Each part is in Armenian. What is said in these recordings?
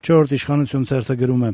Չորրորդ իշխանություն թերթը գրում է.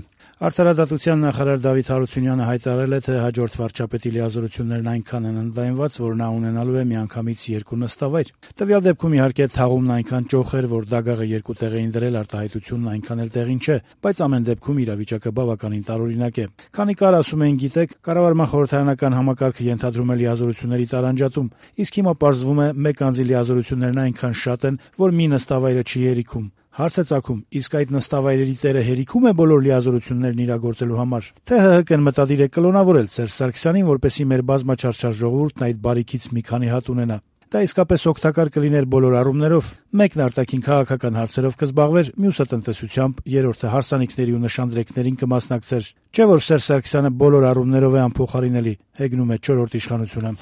Արդարադատության նախարար Դավիթ Հարությունյանը հայտարարել է, թե հաջորդ վարչապետի լիազորություններն այնքան են ընդլայնված, որ նա ունենալու է միանգամից 2 նստավայր։ Տվյալ դեպքում իհարկե թաղումն այնքան ճոխ էր, որ դագաղը 2 տեղ էին դրել, արտահայտությունն այնքան էլ տեղին չէ, բայց ամեն դեպքում իրավիճակը բավականին տարօրինակ է։ Քանի կար, ասում էին, գիտեք, կառավարման խորհրդարանական համակարգը ենթադրում է լիազորությունների տարանջատում, իսկ հիմա պարզվում է մեկ անձի լիազորություններն այնքան շատ են, որ մի նստավայրը չի հերիքում։ Հարց է ծագում, իսկ այդ նստավայրերի տերը հերիքում է բոլոր լիազորություններն իրագործելու համար, թե ՀՀԿ-ն մտադիր է կլոնավորել Սերժ Սարգսյանին, որպեսզի մեր բազմաչարչար ժողովուրդն այդ բարիքից մի քանի հատ ունենա։ Դա իսկապես օգտակար կլիներ բոլոր առումներով։ Մեկն արտաքին քաղաքական հարցերով կզբաղվեր, մյուսը տնտեսությամբ, երրորդը հարսանիքների ու նշանдрեկներին կմասնակցեր։ Չէ՞ որ Սերժ Սարգսյանը բոլոր առումներով է անփոխարինելի, հեգնում է չորրորդ իշխանությունը։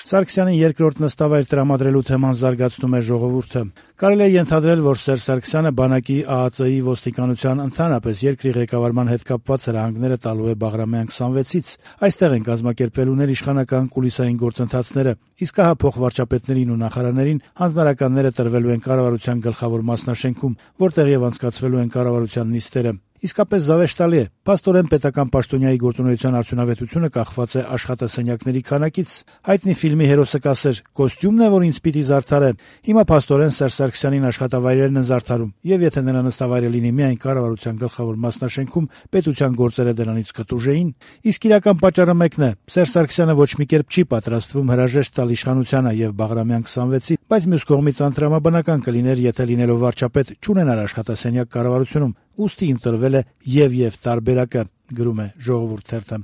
Սարգսյանին երկրորդ նստավայր տրամադրելու թեման զարգացնում է «Ժողովուրդը»։ Կարելի է ենթադրել, որ Սերժ Սարգսյանը բանակի, ԱԱԾ-ի, ոստիկանության, ընդհանրապես երկրի ղեկավարման հետ կապված հրահանգները տալու է Բաղրամյան 26-ից։ Այստեղ են կազմակերպելու ներիշխանական կուլիսային գործընթացները, իսկ ահա փոխվարչապետներին ու նախարարներին հանձնարարականները տրվելու են կառավարության գլխավոր մասնաշենքում, որտեղ եւ անցկացվելու են կառավարության նիստերը։ Իսկապես զավեշտալի է։ Փաստորեն պետական պաշտոնյայի գործունեության արդյունավետությունը կախված է աշխատասենյակների քանակից։ Հայտնի ֆիլմի հերոսը կասեր. «Կոստյումն է, որ ինձ պիտի զարդարե»։ Հիմա փաստորեն Սերժ Սարգսյանին աշխատավայրերն են զարդարում, եւ եթե նրա նստավայրը լինի միայն կառավարության գլխավոր մասնաշենքում, պետության գործերը դրանից կտուժեին։ Իսկ իրական պատճառը մեկն է. Սերժ Սարգսյանը ոչ մի կերպ չի պատրաստվում հրաժեշտ տալ իշխանությանը եւ Բաղրամյան 26-ի, բայց մյուս կողմից անտրամաբանական կլիներ, եթե լինելով վարչապետ չունենար աշխատասենյակ կառավարությունում։ Ուստի ընտրվել է եւ տարբերակը, գրում է «Ժողովուրդ» թերթը։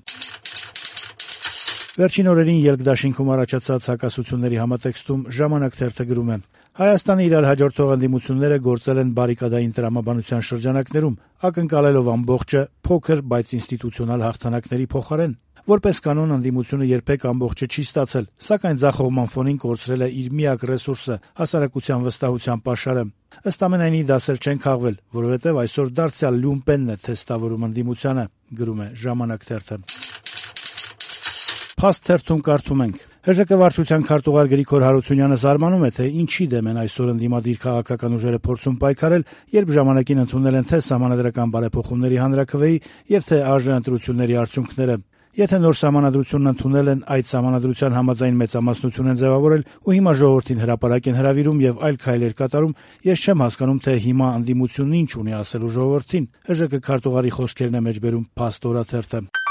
Վերջին օրերին Ելք-դաշինքում առաջացած հակասությունների համատեքստում «Ժամանակ» թերթը գրում է. Հայաստանը իրար հաջորդող ընդդիմությունները գործել են բարիկադային տրամաբանության շրջանակներում, ակնկալելով ամբողջը փոքր, բայց ինստիտուցիոնալ հաղթանակների փոխարեն։ Որպես կանոն ընդդիմությունը երբեք ամբողջը չի ստացել, սակայն ձախողման ֆոնին կորցրել է իր միակ ռեսուրսը՝ հասարակության վստահության պաշարը։ Ըստ ամենայնի դասեր չեն քաղվել, որովհետև այսօր դարձյալ լյումպենն է թեստավորում ընդդիմությանը, գրում է «Ժամանակ» թերթը։ Փաստ թերթում կարդում ենք. ՀԺԿ վարչության քարտուղար Գրիգոր Հարությունյանը զարմանում է, թե ինչի դեմ են այսօր ընդդիմադիր քաղաքական ուժերը փորձում պայքարել, երբ ժամանակին ընդունել են թե Սահմանադրական բարեփոխումների հանրաքվեի եւ թե ԱԺ ընտրությունների արդյունքները։ Եթե նոր սահմանադրությունն ընդունել են, այդ սահմանադրության համաձայն մեծամասնություն են ձևավորել ու հիմա ժողովրդին հրապարակ են հրավիրում եւ այլ քայլեր կատարում, ես չեմ հասկանում, թե հիմա ընդդիմությունն ինչ ունի ասելու ժողովրդին։ ՀԺԿ քարտուղարի խոսքերն է մեջբերում Փաստ օրաթերթը։